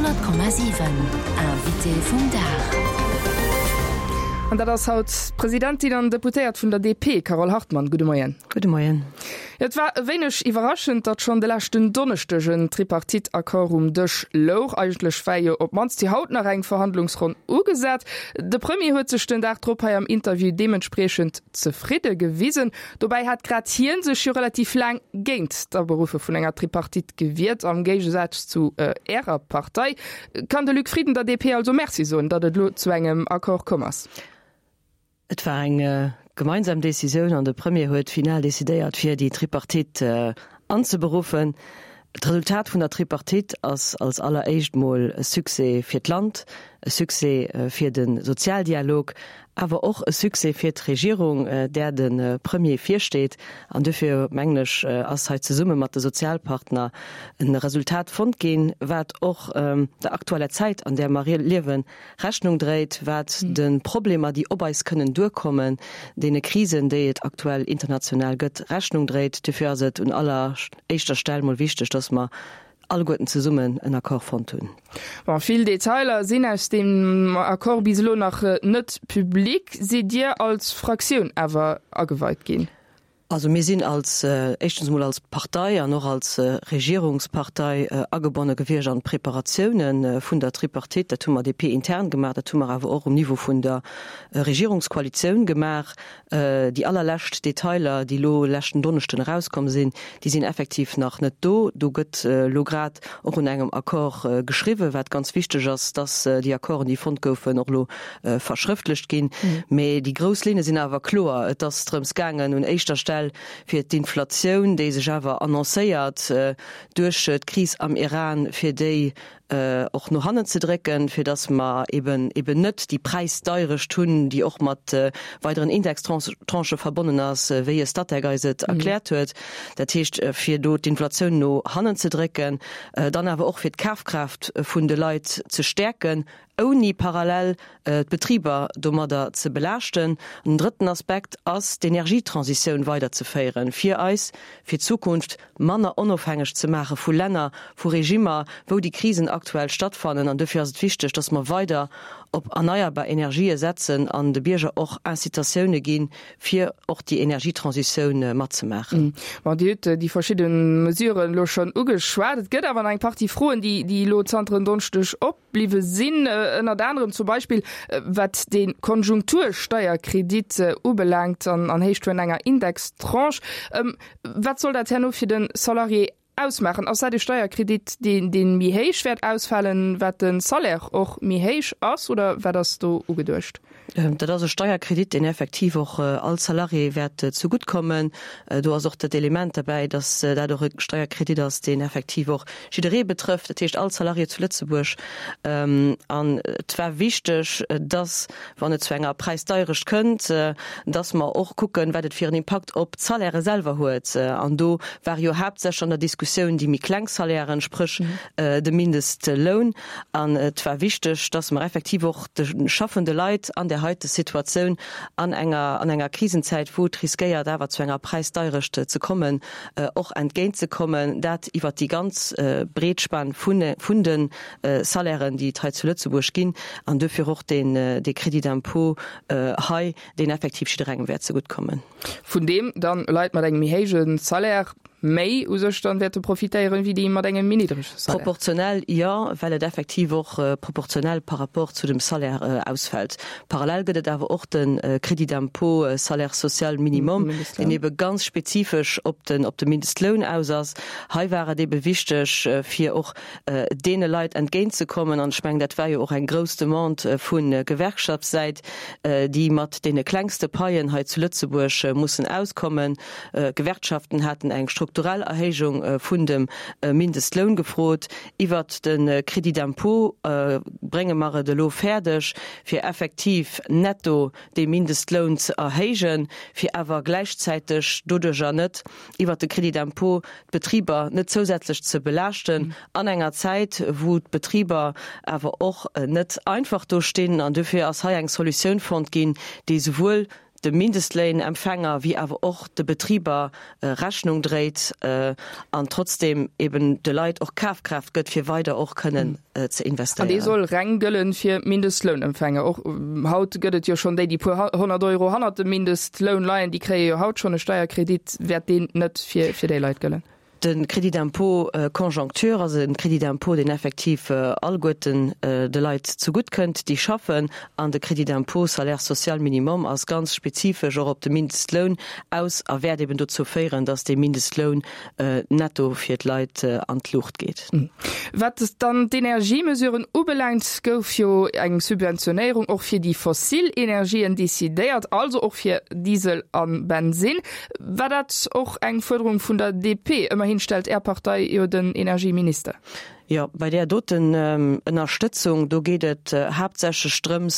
100,7 Invité vum Dag. An dat ass haut d'Presidentin an Deputéiert vun der DP, Carole Hartmann. Gudde Moien. Gudde Moien. Et war e wéineg iwwerraschend, datt schonn de leschten Donneschdeg en Tripartite-Accord um Dësch louch. Eigentlech war jo op d'mannst fir haut nach eng Verhandlungsronn ugesat. De Premier huet sech den Dag drop hei am Interview deementspriechend zefridde gewisen. Dobäi hat grad hien sech jo relativ laang géint d'Aberuffe vun enger Tripartite gewiert, am Géigesaz zu Ärer Partei. Kann de Luc Frieden der DP also Merci soen, datt et elo zu engem Accord komm ass? Et war eng gemeinsam Decisioun an de Premier huet final decidéiert, fir déi Tripartite anzeberuffen. D'Resultat vun der Tripartite ass als alleréischt mol e Succès fir d'Land, e Succès fir de Sozialdialog, awer och e Succès fir d'Regierung, där de Premier virsteet. An duerfir, mengen ech, ass hei zesumme mat de Sozialpartner e Resultat fonnt ginn, wat och der aktueller Zäit, an där mer liewen, Rechnung dréit, wat de Problemer, déi op eis kënnen duerkommen, deene Krisen, déi et aktuell international gëtt, Rechnung dréit. Duerfir ass et un aller éischter Stell mol wichteg, dass mer alleguerten zesummen en Accord fonnt hunn. Bon, vill Detailer sinn aus deem Accord bis elo nach net public. Sidd Dir als Fraktioun awer ageweit ginn? Also mir sinn als, éischtens emol als Partei an och als Regierungspartei agebonne gewiescht an d'Preparatioune vun der Tripartite. Dat hu mer DP-intern gemaach, dat hu mer awer och um Niveau vun der Regierungskoalitioun gemaach. Déi allerlescht Detailer, déi elo leschten Donneschden erauskomm sinn, déi sinn effektiv nach net do. Do gëtt elo grad och un engem Accord geschriwwen, wat ganz wichteg ass, dass déi Accorden, déi fonnt goufen, och elo verschrëftlecht ginn. Mee déi grouss Linne sinn awer kloer. Et ass drëms gaangen, un éischter Stell fir d'Inflatioun, déi sech awer annoncéiert duerch d'Kris am Iran, fir déi och no hannen ze drécken, fir datt mer eben eben net déi Präisdeirecht hunn, déi och mat weideren Indextranchë verbonnen ass, wéi e Statec eis et erkläert huet. Dat heescht, fir do d'Inflatioun no hannen ze drécken, dann awer och fir d'Kafkraaft vun de Leit ze stäerken, ouni parallel d'Betriber domadder ze belaaschten. An den drëtten Aspekt ass, d'Energietransitioun weiderzeféieren, fir eis fir d'Zukunft manner onofhängeg ze maache vu Länner, vu Regimmer, wou déi Krisen aktuell stattfannen. An dofir ass et wichteg, dass mer weider op erneierbar Energië setzen an de Bierger och Incitatioune ginn, fir och déi Energietransitioun matzemaachen. Bon, Dir hutt déi verschidde Mesuren elo schonn ugeschwat. Et gëtt awer nach eng Partie Froen, déi elo zanter en Donneschdeg op. Bliwwe sinn, ënnert anerem zum Beispill wat de Konjunktursteierkredit ubelaangt an an Héicht vun enger Indextranche. Wat soll dat herno fir de Salarié ausmaachen? Ass dat e Steierkredit, deen dee méi héich wäert ausfalen, wat de Salaire och méi héich ass, oder wat ass do ugeduecht? Dat ass e Steierkredit, deen effektiv och all Salarié wäert zegutt kommen. Do ass och dat Element derbäi, datt dat och e Steierkredit ass, deen effektiv och jidderee betrëfft, dat heescht all Salarié zu Lëtzebuerg. An et war wichteg, datt, wann et zu enger Präisdeierecht kënnt, datt mer och kucken, wat et fir en Impakt op d'Salairë selwer huet. An do ware jo haaptsächlech an der Diskussioun déi méi kleng Salairen, spréch de Mindestloun. An et war wichteg, dass mer effektiv och de schaffende Leit an där heite Situatioun, an enger, an enger Krisenzäit, wou et riskéiert awer zu enger Präisdeierecht ze kommen, och entgéintzekommen, dat iwwert déi ganz breet Span vun, vun de Salairen, déi et hei zu Lëtzebuerg ginn, an duerfir och deen, dee Crédit d'impôt hei, deen effektiv jidderengem wäert zeguttkommen. Vun deem dann Leit mat engem méi héije Salaire méi u sech dann wäerte profitéieren, wéi déi mat engem méi niddrege Salaire. Proportionell jo, well et effektiv och proportionell par rapport zu dem Salaire ausfält. Parallel gëtt et awer och de Crédit d'impôt salaire social minimum, deen ebe ganz spezifesch op den op de Mindestloun aus ass. Hei war et ebe wichteg, fir och deene Leit entgéintzekommen, an ech mengen, dat war jo och eng grouss Demande vu Gewerkschaftssäit, déi mat deene klengste Paien hei zu Lëtzebuerg mussen auskommen. D'Gewerkschaften haten eng strukturell Erhéijung vun dem Mindestloun gefrot. Iwwert de Crédit d'impôt brénge mer et elo fäerdeg, fir effektiv netto dee Mindestloun ze erhéijen, fir awer gläichzäiteg doduerjer net iwwert de Crédit d'impôt d'Betriber net zousätzlech ze belaaschten an enger Zäit, wou d'Betriber awer och net einfach do stinn. An dofir ass hei eng Solutioun fonnt ginn, déi souwuel. De Mindestléinempfänger wéi awer och de Betriber Rechnung dréit an trotzdeem eben de Leit och Kafkraaft gëtt, fir weider och kënnen ze investéieren. An dee soll reng gëllen fir Mindestlounempfänger. Och haut gëtt et jo schonn déi, déi puer 100 Euro hannert dem Mindestloun leien, déi kréie jo haut schonn e Steierkredit. Wäert deen net fir déi Leit gëllen? De Crédit d'impôt conjoncture ass e Crédit d'impôt, deen effektiv alleguerten de Leit zegutt kënnt, déi schaffen. An de Crédit d'impôt salaire social minimum ass ganz spezifesch och op de Mindestloun aus a wäert eben dozou féieren, dass dee Mindestloun netto fir d'Leit an d'Luucht geet. Wat dann d'Energiemesuren ubelaangt, gouf jo eng Subventionéierung och fir déi fossil Energien decidéiert, also och fir Diesel a Bensinn. War dat och eng Fuerderung vun der DP? Ëmmerhin stellt Är Partei jo den Energieminister. Jo, bei där doten Ënnerstëtzung, do geet et haaptsächlech drëms,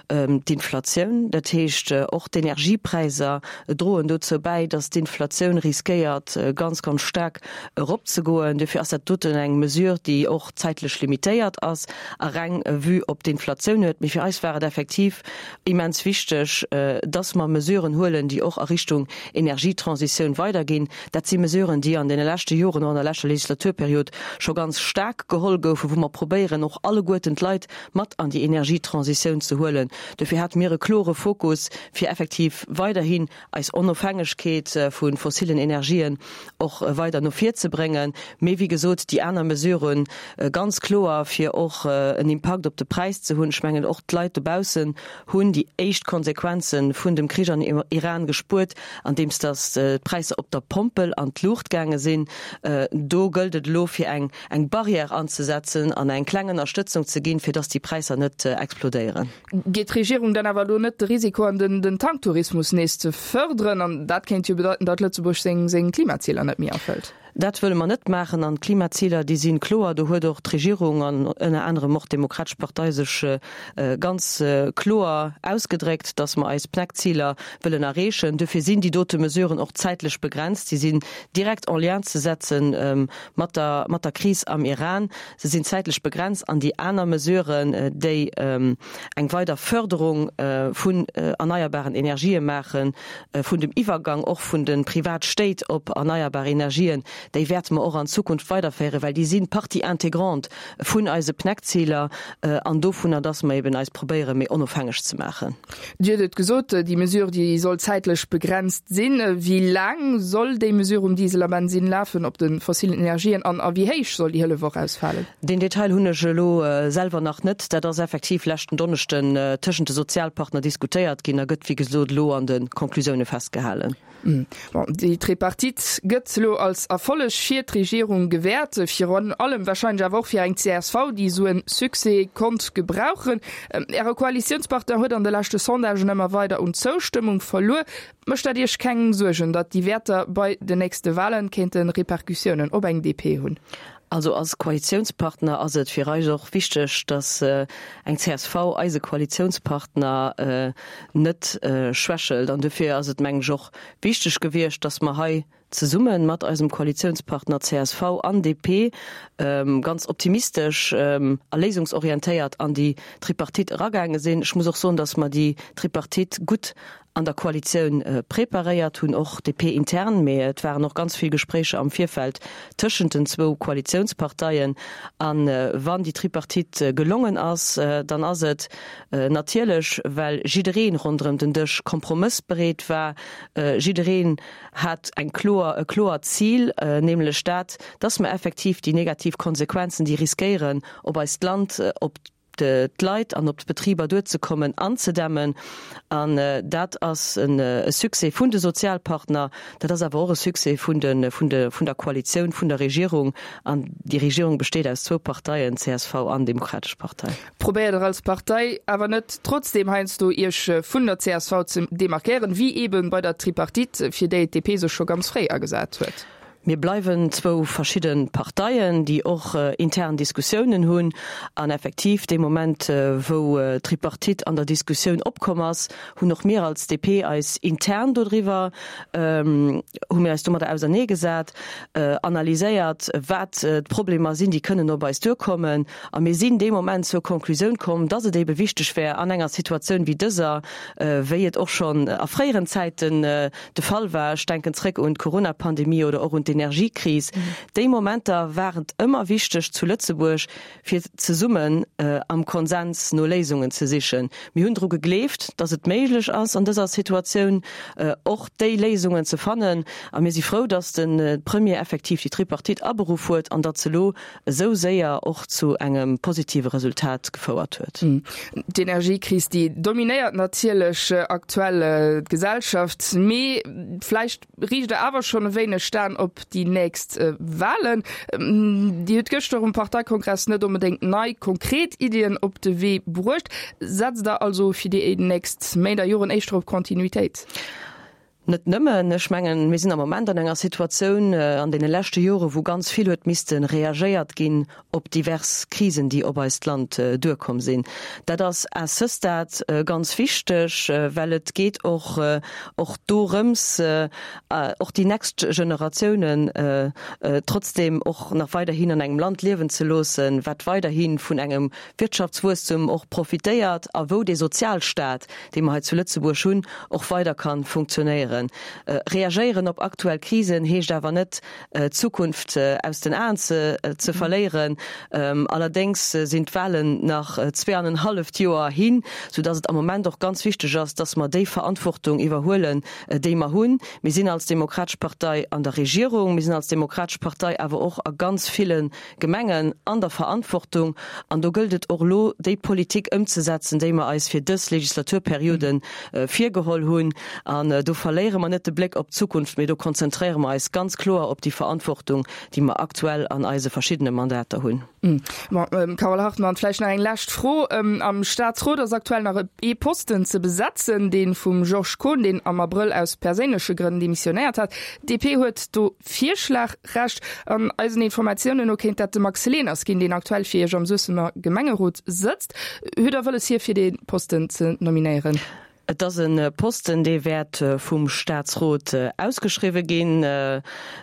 d'Inflatioun, dat heescht och d'Energiepräisser droen dozou bäi, datt d'Inflatioun riskéiert ganz, ganz staark eropzegoen. Dofir ass dat doten eng Mesure, déi och zäitlech limitéiert ass a reng e Vue op d'Inflatioun huet. Mee fir eis war et effektiv immens wichteg, dass mer Mesuren huelen, déi och a Richtung Energietransitioun weiderginn. Dat si Mesuren, déi an deene leschte Joren, och an der leschter Legislaturperiod scho ganz staark geholl goufen, wou mer probéieren, och alleguerten d'Leit mat an déi Energietransitioun ze huelen. Dofir hate mir e klore Fokus, fir effektiv weiderhin eis Onofhängegkeet vu fossilen Energien och weider no vir ze bréngen. Mee wéi gesot, déi aner Mesuren ganz kloer, fir och en Impakt op de Präis ze hunn. Ech mengen, och d'Leit dobaussen hunn déi éischt Konsequenze vun dem Krich an Iran gespuert, andeems datt d'Präisser op der Pompel an d'Luucht gaange sinn. Do gëllt et elo, fir eng Barrière anzesetzen an eng kleng Ënnerstëtzung ze ginn, fir datt déi Präisser net explodéieren. Geet d'Regierung dann awer elo net de Risiko an, den Tanktourismus nees ze fërderen? An dat kéint jo bedeiten, datt Lëtzebuerg seng Klimaziler net méi erfëllt. Dat wëlle mer net maachen. An d'Klimaziler, déi si kloer. Do huet och d'Regierung an ënner anerem och d'Demokratesch Partei sech ganz kloer ausgedréckt, datt mer eis PNEC-Ziler wëllen erreechen. Dofir sinn déi dote Mesuren och zäitlech begrenzt. Si sinn direkt en lien ze setze mat der Kris am Iran. Se sinn zäitlech begrenzt an déi aner Mesuren, déi eng weider Förderung vun erneierbaren Energië maachen, vun dem Iwwergang och vun de Privatstéit op erneierbar Energien, déi wäerte mer och an Zukunft weiderféieren, well déi si Partie intégrante vun eise PNEC-Ziler an dovunner, dass mer eben eis probéieren, méi onofhängeg ze maachen. Dir hutt et gesot, déi Mesure, déi soll zäitlech begrenzt sinn. Wéi laang soll déi Mesure um Diesel a Bensinn lafen, op de fossilen Energien, an a wéi héich soll déi Hëllef och ausfalen? Deen Detail hunn ech elo selwer nach net. Dat ass effektiv leschten Donneschden tëschent de Sozialpartner diskutéiert ginn a gëtt, wéi gesot, elo an de Conclusioune festgehalen. Bon, déi Tripartite gëtt elo als Erfolleg fir d'Regierung gewäert, virun allem warscheinlech awer och fir eng csv, déi esou e Succès konnt gebrauchen. Äre Koalitiounspartner huet an de leschte Sondagen ëmmer weider un Zoustëmmung verluer. Mécht dat Iech keng Suergen, datt déi Wäerter bei den nächste Walen kéinte Repercussiounen op eng DP hunn? Also als Koalitiounspartner ass et fir eis och wichteg, datt eng csv, eise Koalitiounspartner, net schwächelt. An dofir ass et, mengen ech, och wichteg gewiescht, datt mer hei zesumme mat eisem Koalitiounspartner csv an DP ganz optimistesch a léisungsorientéiert an déi Tripartite eragaange sinn. Ech muss och soen, datt mer déi Tripartite gutt an der Koalitioun preparéiert hunn, och DP-intern, mee et waren och ganz vill Gespréicher am Virfeld tëschent den zwou Koalitiounsparteien. A wann déi Tripartite gelongen ass, dann ass et natierlech, well jidderee ronderëm den Dësch kompromëssbereet war. Jiddereen hat eng kloer, e kloert Zil, nämlech dat, dass mer effektiv déi negativ Konsequenzen, déi riskéieren op eist Land, op d'Leit an op d'Betriber duerzekommen, anzedämmen. An dat ass e Succès vun de Sozialpartner, dat ass awer och e Succès vun de, vun de, vun der Koalitioun, vun der Regierung. An déi Regierung besteet aus zwou Parteien, csv an Demokratesch Partei. Probéiert Der als Partei awer net trotzdeem heiansdo Iech vun der csv ze demarkéieren, wéi eebe bei der Tripartite, fir déi d'DP sech scho ganz fréi agesat huet? Mir bleiwen zwou verschidde Parteien, déi och intern Diskussiounen hunn. An effektiv, dee Moment, wou d'Tripartite an der Diskussioun opkomm ass, hunn och mir als DP eis intern dodriwwer, hu mir eis domadder auserneegesat, analyséiert, wat d'Problemer sinn, déi kënnen op eis duerkommen. A mir sinn dee Moment zur Konklusioun komm, dass et eebe wichteg wär, an enger Situatioun wéi dëser, wéi et och schonn a fréieren Zäiten de Fall war, ech denken zréck un d'Coronapandemie oder och un d'Energiekris, déi Momenter war et ëmmer wichteg zu Lëtzebuerg, fir zesummen am Konsens no Léisungen ze sichen. Mir hunn dru gegleeft, dass et méiglech ass, an dëser Situatioun och déi Léisungen ze fannen. A mir si frou, dass de Premier effektiv déi Tripartite aberuff huet an datt se elo esou séier och zu engem positive Resultat gefouert huet. D'Energiekris, déi dominéiert natierlech aktuell d'Gesellschaft, mee vläicht riicht Der awer schonn e wéineg d'Aen op déi nächst Wahlen. Dir hutt gëschter um Parteikongress net onbedéngt nei konkret Iddien op de Wee bruecht. Setzt Der also fir déi nächst Méint a Joren éischter op Kontinuitéit? Net nëmmen. Ech mengen, mir sinn am Moment an enger Situatioun an deene leschte Jore wou ganz vill huet misste reagéiert ginn op divers Krisen, déi op eist Land duerkomm sinn. Dat ass à ce stade ganz wichteg, well et geet och och dorëms, och déi nächst Generatiounen trotzdem och nach weiderhin an engem Land liewen ze loossen, wat weiderhi vun engem Wirtschaftswuesstum och profitéiert a wou dee Sozialstaat, dee mer hei zu Lëtzebuerg hunn, och weider ka funktionéieren. Reagéieren op aktuell Krisen heescht awer net, d'Zukunft aus den Aen ze verléieren. Allerdéngs sinn d'Wahlen nach zweeanenhalleft Joer hin, soudass et am Moment och ganz wichteg ass, dass mer déi Verantwortung iwwerhuelen, déi mer hunn. Mir sinn als Demokratesch Partei an der Regierung, mir sinn als Demokratesch Partei awer och a ganz ville Gemengen an der Verantwortung, an do gëllt et och elo, déi Politik ëmzesetzen, déi mer eis fir dës Legislaturperiode virgeholl hunn. An do verléiere mer net de Bléck op d'Zukunft, mee do konzentréiere mer eis ganz kloer op déi Verantwortung, déi mer aktuell an eise verschiddene Mandater hunn. Bon, Carole Hartmann, vläicht nach eng lescht Fro. Am Staatsrot ass aktuell nach ee Posten ze besetzen, dee vum Georges Kohn, deen am Abrëll aus perséinleche Grënn demissionéiert hat. D'DP huet do Virschlagrecht. An eisen Informatiounen no kéint dat de Max Leners ginn, deen aktuell fir Iech am Suessemer Gemengerot sëtzt. Hutt Der wëlles, hie fir dee Posten ze nominéieren? Et ass e Posten, dee wäert vum Staatsrot ausgeschriwwe ginn.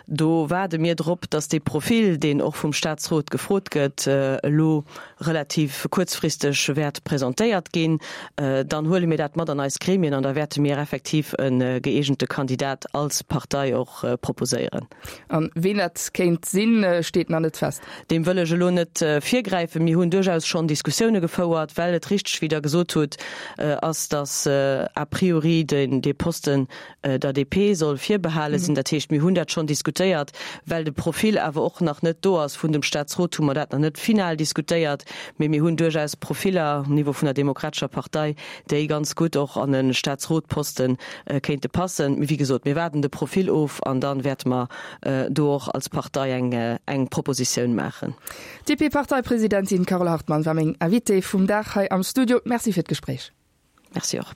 Do waarde mir drop, datt dee Profil, deen och vum Staatsrot gefrot gëtt, elo relativ kuerzfristeg wäert presentéiert ginn. Dann huele mir dat mat an eis Gremien an da wäerte mir effektiv e gëeegente Kandidat als Partei och proposéieren. An ween dat kéint sinn, steet nach net fest. Deem wëll ech elo net virgräifen. Mir hunn duerchaus schonn Diskussioune gefouert, well et richteg, wéi Der gesot hutt, ass, datt a priori dee Posten der DP soll virbehale sinn. Dat heescht, mir hunn dat schonn diskutéiert. Well de Profil awer och nach net do ass vun dem Staatsrot, hu mer dat nach net final diskutéiert. Mee mir hunn duerchaus Profiller um Niveau vun der Demokratescher Partei, déi ganz gutt och an e Staatsrotposte kéinte passen. Mee wéi gesot, mir waarden de Profil of an da wäerte mer do och als Partei eng Propositioun maachen. D'DP-Parteipresidentin Carole Hartmann war meng Invitée vum Dag hei am Studio. Merci fir d'Gespréich. Merci och.